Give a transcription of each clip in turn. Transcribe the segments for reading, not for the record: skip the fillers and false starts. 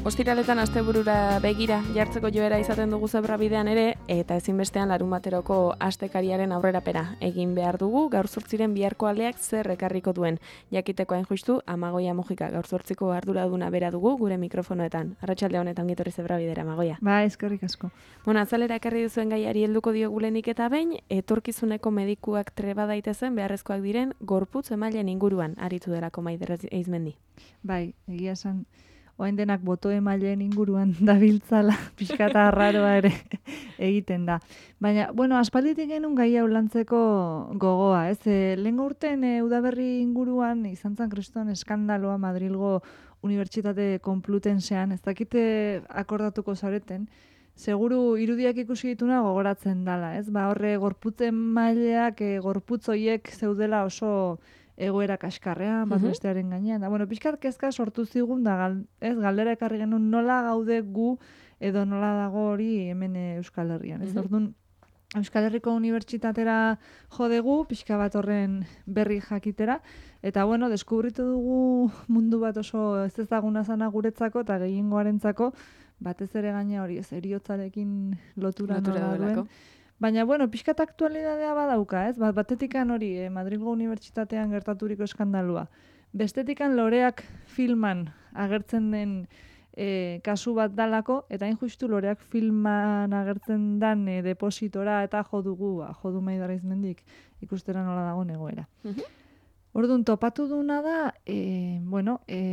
Ostiraletan asteburura begira jartzeko joera izaten dugu zebrabidean ere, eta ezinbestean larunbateroko astekariaren aurrerapena egin behar dugu, gaur zortziren biharko aleak zer ekarriko duen. Jakiteko hain justu, Amagoia Mujika gaur zortziko arduraduna bera dugu gure mikrofonoetan. Arratsalde honetan gitorri zebrabidera, Amagoia. Ba, eskerrik asko. Azalera ekarri duzuen gaiari helduko diogulenik eta behin, etorkizuneko medikuak treba daitezen beharrezkoak diren gorputz emailen inguruan aritu delako Maider Eizmendi. Bai, egia esan, oain denak boto emaileen inguruan dabiltzala, pixkata arraroa ere egiten da. Baina, aspalditik genuen gai hau lantzeko gogoa, ez? Lehengo urten udaberri inguruan izan zan kriston eskandaloa Madrilgo Unibertsitate Konplutensean, ez dakite akordatuko zareten, seguru irudiak ikusi dituna gogoratzen dala, ez? Horre gorputzen maileak, gorputz hoiek zeudela oso egoera kaskarrean, bat bestearen gainean. Da, pixkat kezka sortu zigun, galdera ekarri genuen nola gaude gu edo nola dago hori hemen Euskal Herrian. Ez orduan, Euskal Herriko Unibertsitatera jodegu, pixka bat horren berri jakitera, eta deskubritu dugu mundu bat oso ez ezaguna zana guretzako eta gehiengoarentzako, batez ere gaina hori ez eriotzarekin lotura nola duen. Baina, pixkat aktualidadea badauka, ez? Batetikan hori, Madrilgo Unibertsitatean gertaturiko eskandalua. Bestetikan loreak filman agertzen den kasu bat dalako, eta hain justu loreak filman agertzen den depositora eta jodu Maider Eizmendik ikustera nola dago egoera. Orduan, topatu duna da,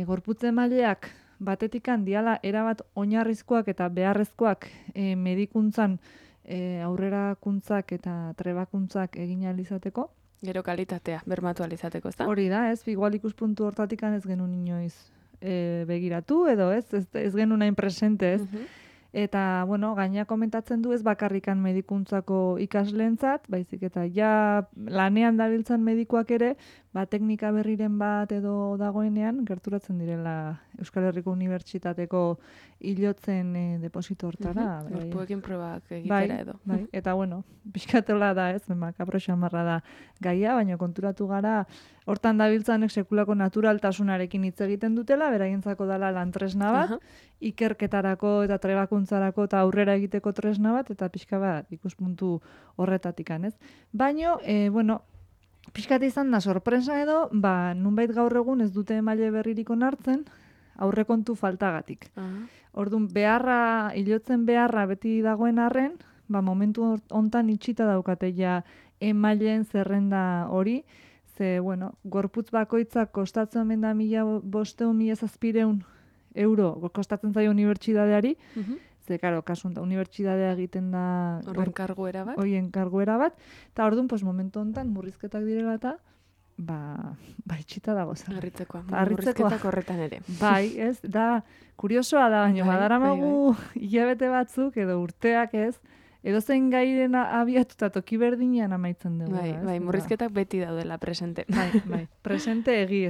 gorputze maileak batetikan diala erabat oinarrizkoak eta beharrezkoak medikuntzan aurrerakuntzak eta trebakuntzak egin ahal izateko. Gero kalitatea, bermatu ahal izateko, ez da? Hori da, ez, igual ikuspuntu hortatik ez genuen inoiz begiratu, edo ez genuen hain presente, ez. Eta, gaina komentatzen du ez bakarrikan medikuntzako ikasleentzat, baizik eta ja lanean dabiltzan medikuak ere, teknika berriren bat edo dagoenean, gerturatzen direla Euskal Herriko Unibertsitateko hilotzen deposito hortara. Gorpuekin probak egitera edo. Bai, eta pixkatola da ez, makabro xamarra da gaia, baina konturatu gara, hortan dabiltzanek sekulako naturaltasunarekin hitz egiten dutela, beraientzako dela lantresna bat, ikerketarako eta trebakuntzarako eta aurrera egiteko tresna bat, eta pixka bat ikuspuntu horretatikan, ez? Baina, pixkat izan da sorpresa edo, nunbait gaur egun ez dute emaile berririk onartzen, aurrekontu faltagatik. Orduan, hilotzen beharra beti dagoen arren, momentu hontan itxita daukate ja emaileen zerrenda hori, ze, gorputz bakoitzak kostatzen omen da 1.500-1.700 euro kostatzen zaio unibertsitateari, ze, karo, kasun da, unibertsitatea egiten da horren karguera bat. Horien karguera bat, eta orduan, momentu hontan murrizketak direla eta itxita dago zer. Murrizketak horretan ere. Bai, ez, da, kuriosoa da, baina badaramagu hilabete batzuk edo urteak ez, edo zein gairen abiatuta toki berdinean amaitzen dugu. Bai, murrizketak beti daudela presente. Bai, presente egi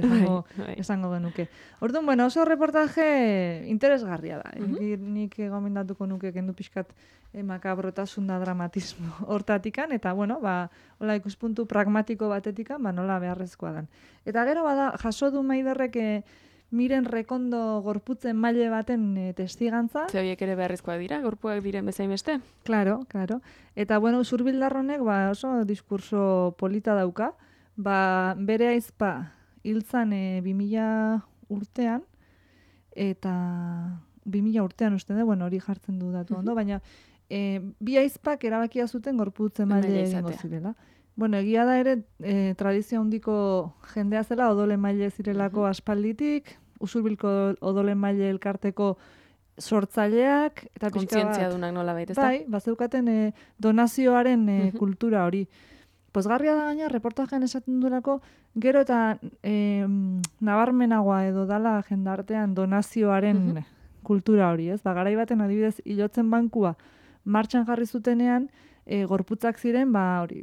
esango genuke. Orduan, oso reportaje interesgarria da. Nik gomendatuko nuke kendu pixkat makabrotasun da dramatismo hortatikan, eta hola ikuspuntu pragmatiko batetikan, nola beharrezkoa dan. Eta gero jaso du Maiderrek Miren Rekondo gorputzen maile baten testigantza. Ze horiek ere beharrezkoak dira, gorpuak diren bezain beste? Claro. Eta Usurbilдар honek oso diskurso polita dauka. Bere aizpa hiltzan 2000 urtean, eta 2000 urtean uste da, hori jartzen du datu ondo, baina bi aizpak erabakia zuten gorputzen maile egingo zirela. Egia da ere, tradizio handiko jendea zela, odole maile zirelako aspalditik, Usurbilko odole maile elkarteko sortzaileak, eta kontzientzia dunak nola baita, ez da? Bai, bazeukaten donazioaren kultura hori. Pozgarria da gaina, reportajean esaten duelako, gero eta nabarmenagoa edo dala jendartean donazioaren kultura hori, ez? Garai baten adibidez, hilotzen bankua martxan jarri zutenean, gorputzak ziren,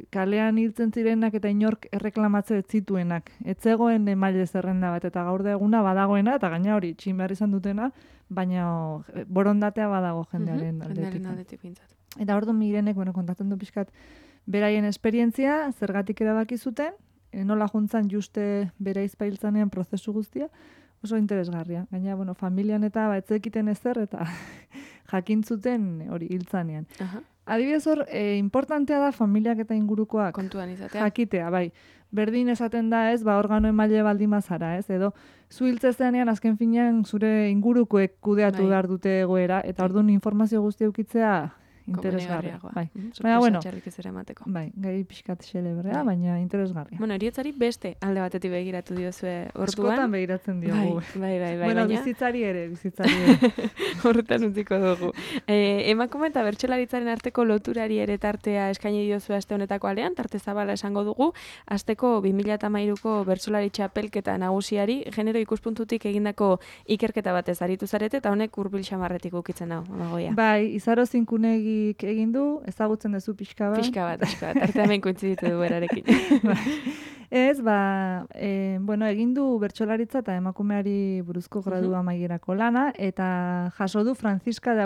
kalean hiltzen zirenak eta inork erreklamatze ez zituenak. Ez zegoen emaile zerrenda bat, eta gaur da eguna badagoena, eta gaina hori txin behar izan dutena, baina borondatea badago jendearen aldetik. Eta orduan Mirenek, kontatzen du pixkat beraien esperientzia, zergatik erabaki zuten, nola juntzan juste bere aizpa hiltzanean prozesu guztia, oso interesgarria. Gaina, bueno, familian eta etzekiten ezer eta jakintzuten hori hiltzanean. Adibidez hor, importantea da familiak eta ingurukoak kontuan izatea. Jakitea, bai. Berdin esaten da ez, organo emaile baldin bazara, ez? Edo, zu hiltzezenean azken finean zure ingurukoek kudeatu behar dute egoera, eta orduan informazio guztia eukitzea interesgarria. Bai. Baina, bueno, bai, gai pixkat xelebrea, baina interesgarria. Bueno, eriotzari beste alde batetik begiratu diozue orduan. Askotan begiratzen diogu. Bai. Bueno, bizitzari ere. Horretan utziko dugu. Emakume eta bertsolaritzaren arteko loturari ere tartea eskaini diozue aste honetako alean, tarte zabala esango dugu, asteko 2013ko bertsolari txapelketa nagusiari genero ikuspuntutik egindako ikerketa batez aritu zarete, eta honek hurbil xamarretik ukitzen hau, Amagoia. Bai, Izaro Zinkunegi egin du, ezagutzen duzu pixka bat. Pixka bat. Arte hemen kointziditu du berarekin. Ez, bueno, egin du bertsolaritza eta emakumeari buruzko gradu amaierako lana, eta jaso du Francisca de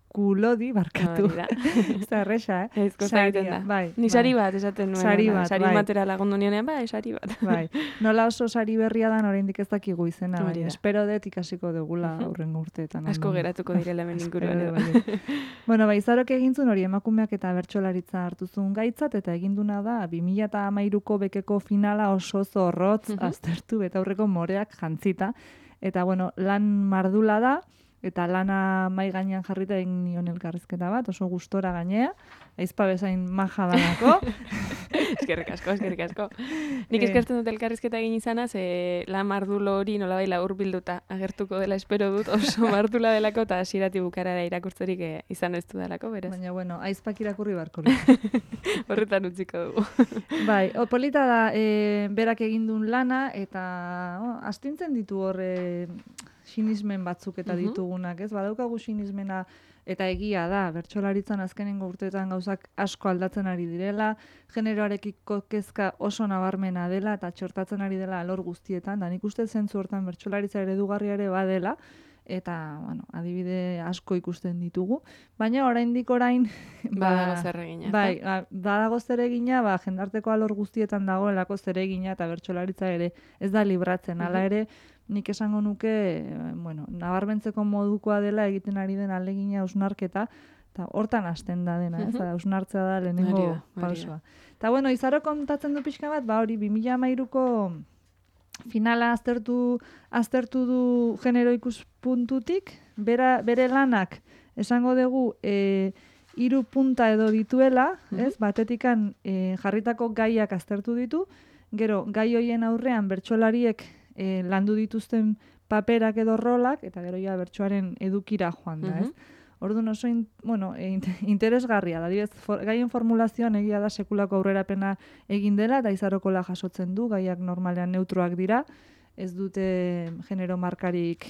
Akulodi, barkatu. Ez da erresa, Saria, bai. Ni sari bat esaten nuen. Sari bat, sari batera lagundu nionean, sari bat. Bai. Nola oso sari berria da, oraindik ez dakigu izena, bai. Espero dut ikasiko dugula aurrengo urteetan. Asko geratuko direla hemen inguruan. Bueno, Izarok egintzun hori emakumeak eta bertsolaritza hartuzun gaitzat, eta eginduna da 2013ko bekeko finala oso zorrotz aztertu, eta aurreko moreak jantzita. Eta, bueno, lan mardula da, eta lana mai gainean jarrita egin nion elkarrizketa bat, oso gustora gainea, aizpa bezain maja danako. Eskerrik asko. Nik eskertzen dut elkarrizketa egin izanaz, lan mardulo hori nolabait hurbilduta agertuko dela espero dut, oso mardula delako, eta hasieratik bukaerara irakurtzerik izan ez du delako, berez. Baina, bueno, aizpak irakurri barko. Horretan utziko dugu. Bai, polita da, berak egindun lana, eta astintzen ditu horre sinismen batzuk eta ditugunak, ez? Badaukagu sinismena eta egia da, bertsolaritzan azkenengo urteetan gauzak asko aldatzen ari direla, generoarekiko kezka oso nabarmena dela eta txortatzen ari dela alor guztietan, da nik uste zentzu hortan bertsolaritza eredugarria ere badela, eta, bueno, adibide asko ikusten ditugu, baina oraindik badago zeregina. Bai, badago zeregina, jendarteko alor guztietan dagoelako zeregina eta bertsolaritza ere ez da libratzen, hala ere, nik esango nuke, bueno, nabarmentzeko modukoa dela egiten ari den alegina ausnarketa, eta hortan hasten da dena, ez? Ausnartzea da lehenengo pausua. Eta, bueno, Izaro kontatzen du pixka bat, hori 2013ko finala aztertu du genero ikuspuntutik, bere lanak esango dugu 3 punta edo dituela, ez? Batetikan jarritako gaiak aztertu ditu, gero gai hoien aurrean bertsolariek landu dituzten paperak edo rolak, eta gero ja bertsoaren edukira joan da, ez? Orduan oso interesgarria da. Gaien formulazioan egia da sekulako aurrerapena egin dela, eta Izarokola jasotzen du, gaiak normalean neutroak dira, ez dute genero markarik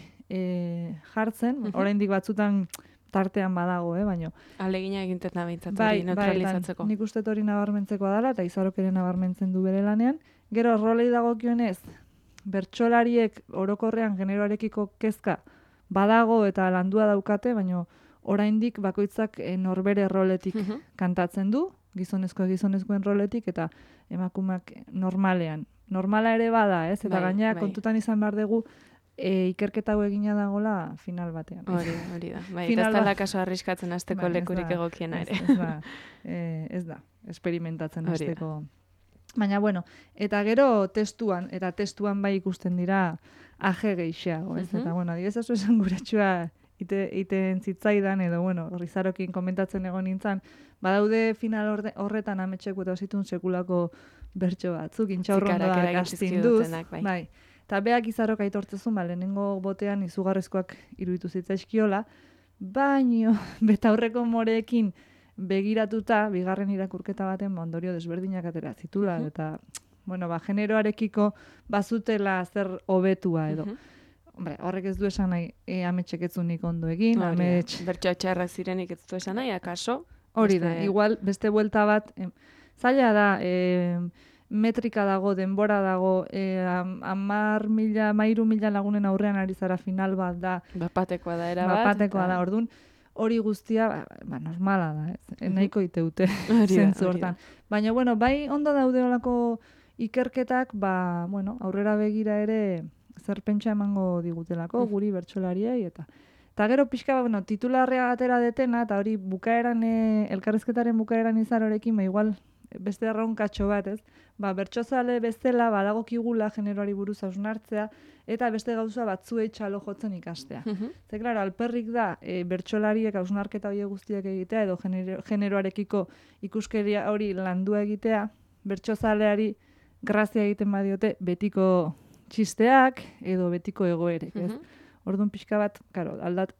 jartzen, oraindik batzutan tartean badago, baino. Alegina egiten da behintzat hori neutralizatzeko. Nik uste hori nabarmentzekoa dela, eta Izarok ere nabarmentzen du bere lanean. Gero rolei dagokionez, bertsolariek orokorrean generoarekiko kezka badago eta landua daukate, baino oraindik bakoitzak norbere roletik kantatzen du, gizonezkoen roletik, eta emakumeak normalean. Normala ere bada, ez? Eta gainera kontutan izan behar dugu ikerketa hau egina dagoela final batean. Hori da. Bai, eta ez dela kaso arriskatzen hasteko lekurik egokiena ere. Ez da, experimentatzen hasteko. Baina, bueno, eta gero testuan bai ikusten dira aje gehixeago, ez? Eta, bueno, adibidez oso esan guratxua iten zitzaidan, edo, bueno, Izarokin komentatzen egon nintzen, badaude final horretan ametxeko eta zitun sekulako bertso batzuk, intxaurrondoak astinduz, bai. Eta beak Izarok aitortzezun, lehenengo botean izugarrizkoak iruditu zitzaizkiola, baino, betaurreko moreekin begiratuta, bigarren irakurketa baten ondorio desberdinak atera zitula, eta, bueno, generoarekiko bazutela zer hobetua edo. Horrek ez du esan nahi ametxek etzunik ondo egin, bertsoa txarrak zirenik ez du esan nahi, akaso? Hori da, igual beste buelta bat, zaila da, metrika dago, denbora dago, 10.000 lagunen aurrean ari zara final bat da. Bapatekoa da, erabat. Bapatekoa da, orduan, hori guztia, normala da, nahiko iteute zentzu hortan. Baina, bueno, bai ondo daude olako ikerketak, aurrera begira ere zer pentsa emango digutelako guri bertsolariei eta gero pixka, bueno, titularrea atera detena, eta hori bukaeran, elkarrizketaren bukaeran izarorekin, igual beste erronkatxo bat, ez? Bertsozale bezala, badagokigula generoari buruz hausnartzea, eta beste gauza batzuei txalo jotzen ikastea. Ze, klaro, alperrik da, bertsolariek hausnarketa hori guztiak egitea, edo generoarekiko ikuskeria hori landua egitea, bertsozaleari grazia egiten badiote betiko txisteak, edo betiko egoerek, ez? Orduan pixka bat, karo,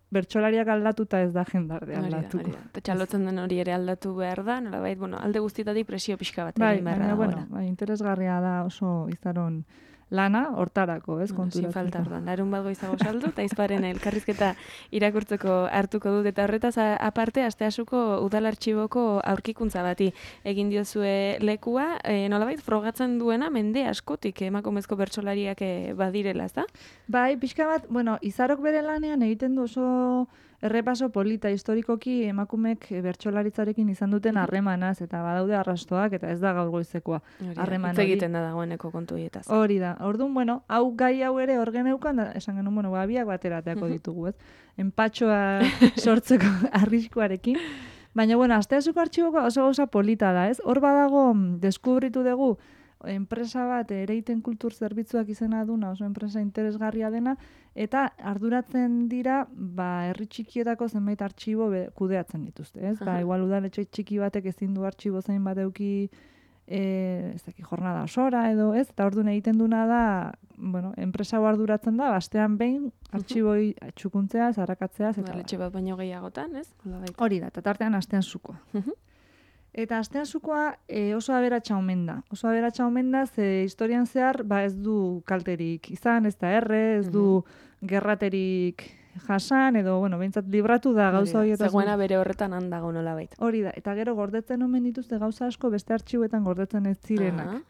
bertsolariak aldatuta ez da jendarte aldatuko. Eta txalotzen den hori ere aldatu behar da, nolabait, bueno, alde guztietatik presio pixka bat egin beharra da. Bai, interesgarria da oso izaron lana hortarako, ez, konturatzeko. Sin falta, orduan, larun bat goizago saldu, eta izparen elkarrizketa irakurtzeko hartuko dut, eta horretaz aparte, asteasuko udal artxiboko aurkikuntza bati egin diozue lekua, nolabait, frogatzen duena mende askotik emakumezko bertsolariak badirela, ez da? Bai, pixka bat, bueno, izarok bere lanean egiten du oso errepaso polita historikoki emakumek bertsolaritzarekin izan duten harremanaz, eta badaude arrastoak, eta ez da gaur goizekoa harreman hori. Egiten da dagoeneko kontu hietaz. Hori da. Orduan, bueno, gai hau ere hor geneukan, esan genuen, bueno, biak baterateako ditugu, ez? Enpatxoa sortzeko arriskuarekin. Baina, bueno, asteasuko artxiboko oso gauza polita da, ez? Hor badago, deskubritu dugu, enpresa bat ereiten kultur zerbitzuak izena duna, oso enpresa interesgarria dena, eta arduratzen dira, herri txikietako zenbait artxibo kudeatzen dituzte, ez? Igual udaletxe txiki batek ezin du artxibo zein bat eduki jornada osora edo, ez? Eta orduan egiten duna da, bueno, enpresa hau arduratzen da, astean behin artxiboi txukuntzea, zarakatzea, eta udaletxe bat baino gehiagotan, ez? Hori da, eta tartean astean zukoa. Eta astean zukoa oso aberatsa omen da. Oso aberatsa omen da, ze historian zehar ez du kalterik izan, ez da ez du gerraterik jasan, edo, bueno, behintzat libratu da gauza horietaz. Zegoena bere horretan handago nolabait. Hori da, eta gero gordetzen omen dituzte gauza asko beste artxiboetan gordetzen ez zirenak.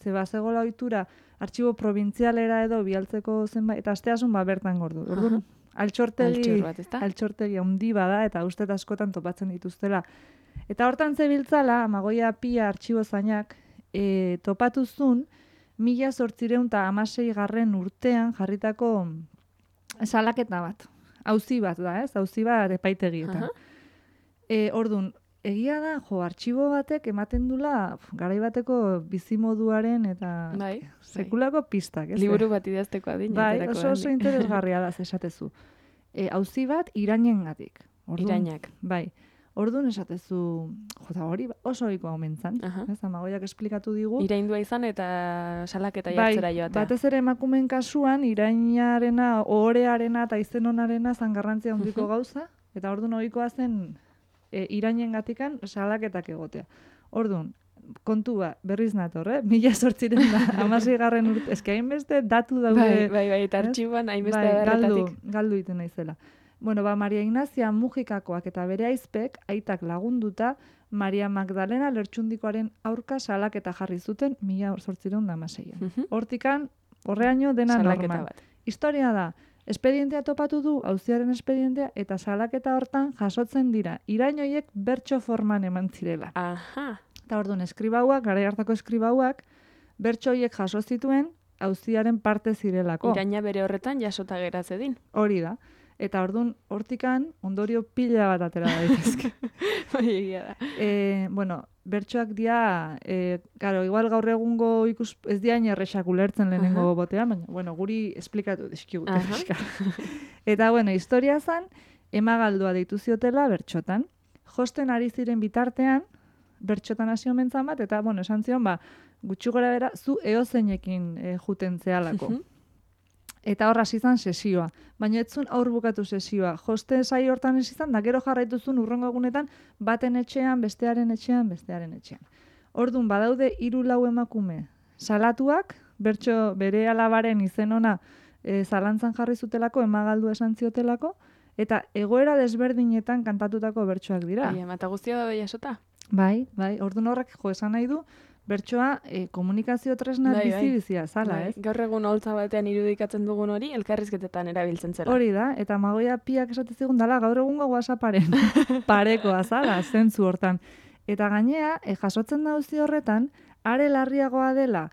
Ze zegoela ohitura artxibo provintzialera edo bialtzeko zenbait, eta asteasun bertan gordu. Orduan, altxortegi handi bada, eta uste askotan topatzen dituztela. Eta hortan zebiltzala, Amagoia Pia artxibo zainak, topatuzun, 1816 urtean jarritako salaketa bat. Auzi bat da, ez? Auzi bat epaitegietan. Orduan, egia da, artxibo batek ematen dula garai bateko bizimoduaren eta sekulako pistak. Liburu bat idazteko adina. Bai, oso interesgarria da, esatezu. Auzi bat irainengatik. Irainak. Bai. Orduan esatezu, hori oso ohikoa omen zan. Amagoiak esplikatu digu. Iraindua izan eta salaketa jartzera joatea. Batez ere emakumeen kasuan, irainarena, ohorearena eta izen onarena zan garrantzia handiko gauza, eta orduan ohikoa zen irainengatikan salaketak egotea. Orduan, kontua berriz nator, 1816 urte, eske hainbeste datu daude. Bai, eta artxiboan hainbeste adarretatik. Galdu iten naizela. Bueno, Maria Ignazia Mujikakoak eta bere aizpek, aitak lagunduta, Maria Magdalena Lertxundikoaren aurka salaketa jarri zuten 1816. Hortikan, horreaino dena normal. Historia da, espedientea topatu du, auziaren espedientea, eta salaketa hortan jasotzen dira. Irainoiek bertso forman eman zirela. Eta orduan, eskribauak, garai hartako eskribauak, bertso horiek jaso zituen, auziaren parte zirelako. Iraina bere horretan jasota gerazedin. Hori da. Eta orduan, hortikan, ondorio pila bat atera daitezke. Bueno, bertsoak dia, igual gaur egungo ez diain errexak ulertzen lehenengo botean, baina, bueno, guri esplikatu dizkigut. Eta, bueno, historia zan, emagaldua deitu ziotela bertxotan. Josten ari ziren bitartean, bertxotan hasi omentzan bat, eta, bueno, esan zion, gutxi gora bera, zu eozeinekin juten zehalako. Eta horra izan sesioa. Baina etzun aur bukatu sesioa. Joste zai hortan ez izan, da gero jarraituzun urrengo egunetan, baten etxean, bestearen etxean. Orduan, badaude 3-4 emakume salatuak, bertso bere alabaren izen ona zalantzan jarri zutelako, emagaldu esan ziotelako, eta egoera desberdinetan kantatutako bertsoak dira. Eta guztia da jasota? Bai, orduan horrek esan nahi du, bertsoa komunikazio tresna bizi-bizia zala, ez? Gaur egun holtza batean irudikatzen dugun hori, elkarrizketetan erabiltzen zela. Hori da, eta Amagoia Piak esatezigun dala, gaur egungo WhatsApparen parekoa zala, zentzu hortan. Eta gainea, jasotzen dauzi horretan, are larriagoa dela,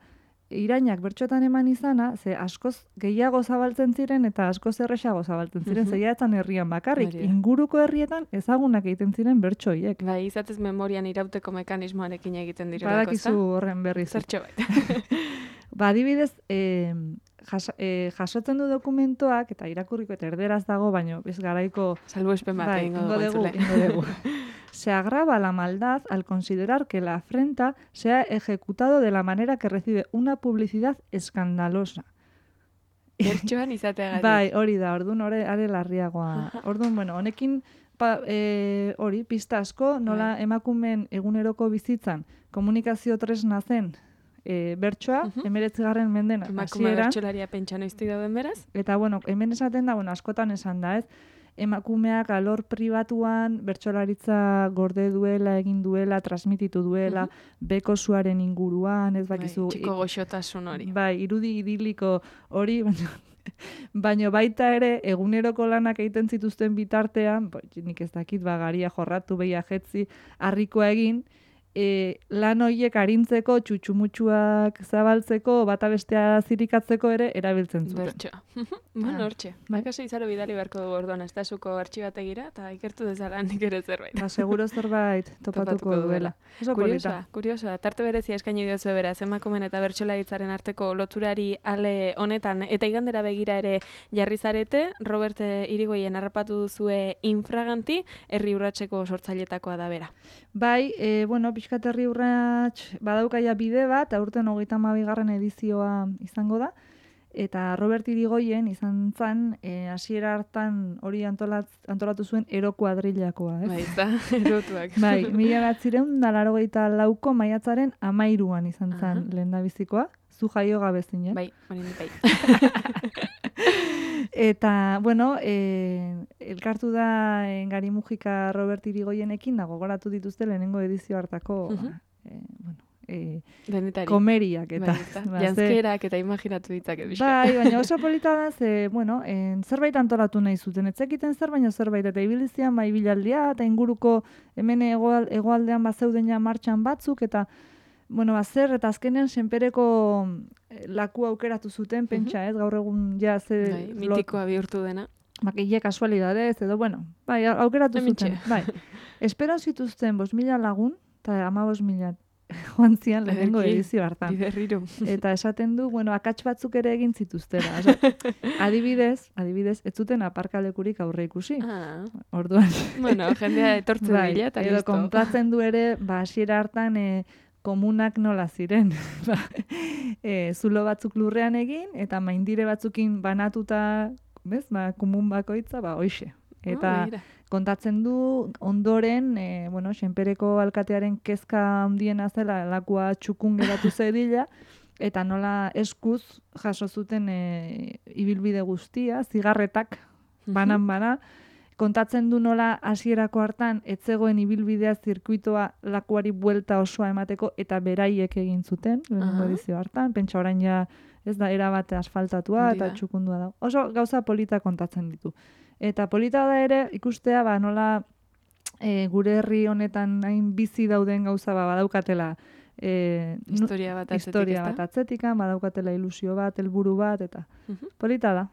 irainak bertxotan eman izana, ze askoz gehiago zabaltzen ziren eta askoz erresago zabaltzen ziren, zeiatzen herrian bakarrik, inguruko herrietan ezagunak egiten ziren bertsoiek. Bai, izatez memorian irauteko mekanismoarekin egiten direlako, badakizu horren berriz. Zertxo bait. Adibidez, jasotzen du dokumentoak, eta irakurriko eta erderaz dago, baino ez garaiko... Salbuespen bat, ingo dugu. Se agrava la maldad al considerar que la afrenta se ha ejecutado de la manera que recibe una publicidad escandalosa. Bertxoan izateagatik. Bai, hori da, orduan are larriagoa. Orduan, bueno, honekin hori, pista asko, nola emakumeen eguneroko bizitzan komunikazio tresna zen bertsoa, 19. mendean hasieran. Emakume bertsolaria pentsa noiztik dauden beraz? Eta, bueno, hemen esaten da, askotan esan da, ez? Emakumeak alor pribatuan bertsolaritza gorde duela, egin duela, transmititu duela, beko zuaren inguruan, ez bakizu... Txiko goxotasun hori. Bai, irudi idiliko hori, baina baita ere, eguneroko lanak egiten zituzten bitartean, nik ez dakit, garia jorratu, behia jetzi, harrikoa egin, lan horiek arintzeko, txutxumutxuak zabaltzeko, bata bestea zirikatzeko ere erabiltzen zuten. Bertxoa. Bueno, hortxe. Bakase izaro bidali beharko dugu orduan, ez da zuko artxibategira, eta ikertu dezala nik ere zerbait. Seguro zerbait topatuko duela. Kuriosoa, tarte berezia eskaini diozu beraz, emakumen eta bertsolaritzaren arteko loturari ale honetan, eta igandera begira ere jarri zarete, Robert Irigoyen harrapatu duzue infraganti, herri urratseko sortzailetakoa da bera. Bai, pixkat herri urrats badaukaia bide bat, aurten 32. edizioa izango da, eta Robert Irigoyen izan zan, hasiera hartan hori antolatu zuen ero kuadrillakoa, ez? Bai, eta erotuak. Bai, 1984ko maiatzaren 13an izan zan lehendabizikoa, zu jaio gabe zinen. Bai, hori bai. Eta, bueno, elkartu da Gari Mujika Robert Irigoyenekin, da gogoratu dituzte lehenengo edizio hartako, komeriak eta... Janzkerak eta imaginatu ditzak edizia. Bai, baina oso polita da, zerbait antolatu nahi zuten. Etzekiten zer, baina zerbait, eta ibilizian, bai bilaldia, eta inguruko hemen hegoaldean bazeuden ja martxan batzuk, eta zer, eta azkenean senpereko laku aukeratu zuten, pentsa, ez, gaur egun ja ze... Mitikoa bihurtu dena. Ile kasualidadez, edo, aukeratu zuten. Bai, espero zituzten 5.000 lagun, eta 15.000 joan zian lehenengo edizio hartan. Biberriru. Eta esaten du, akats batzuk ere egin zituztera. Adibidez, ez zuten aparkalekurik aurre ikusi. Orduan. Jendea etortzen dira, eta edo kontatzen du ere, hasiera hartan komunak nola ziren. Zulo batzuk lurrean egin, eta maindire batzukin banatuta, komun bakoitza, hoixe. Eta kontatzen du ondoren, senpereko alkatearen kezka handiena zela, lakua txukun geratu zedila, eta nola eskuz jaso zuten ibilbide guztia, zigarretak, banan-bana, kontatzen du nola hasierako hartan etzegoen ibilbidea zirkuitoa lakuari buelta osoa emateko eta beraiek egin zuten, lehenengo edizio hartan, pentsa orain ja ez da erabate asfaltatua eta txukundua da. Oso gauza polita kontatzen ditu. Eta polita da ere ikustea nola gure herri honetan hain bizi dauden gauza badaukatela historia bat atzetikan, badaukatela ilusio bat, helburu bat, eta polita da.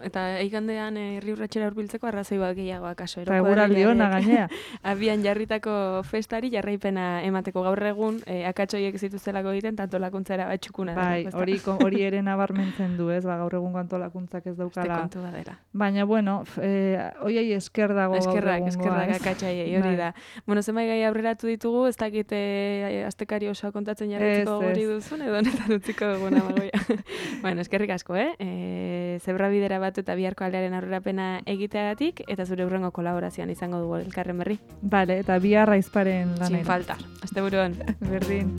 Eta eigandean herri urratsera hurbiltzeko arrazoi bat gehiago akaso. Eta eguraldi ona gainea. Abian jarritako festari jarraipena emateko gaur egun, akatsoiek zituztelako egiten, antolakuntzara bat txukuna. Bai, hori ere nabarmentzen du, ez, gaur egungo antolakuntzak ez daukala. Kontu badera. Baina, hoiei esker dago gaur egungoa. Eskerrak akatsaiei, hori da. Zenbait gai aurreratu ditugu, ez dakit astekari oso kontatzen jarretzeko gori duzun, edo honetan utziko duguna magoia. Eskerrik asko, zebra bidera bat eta biharko aldearen aurrerapena egiteagatik, eta zure hurrengo kolaborazioan izango dugu elkarren berri. Bale, eta bihar aizparen lanera. Sin falta. Asteburuan. Berdin.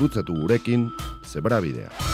gurutzatu gurekin Zebrabidea.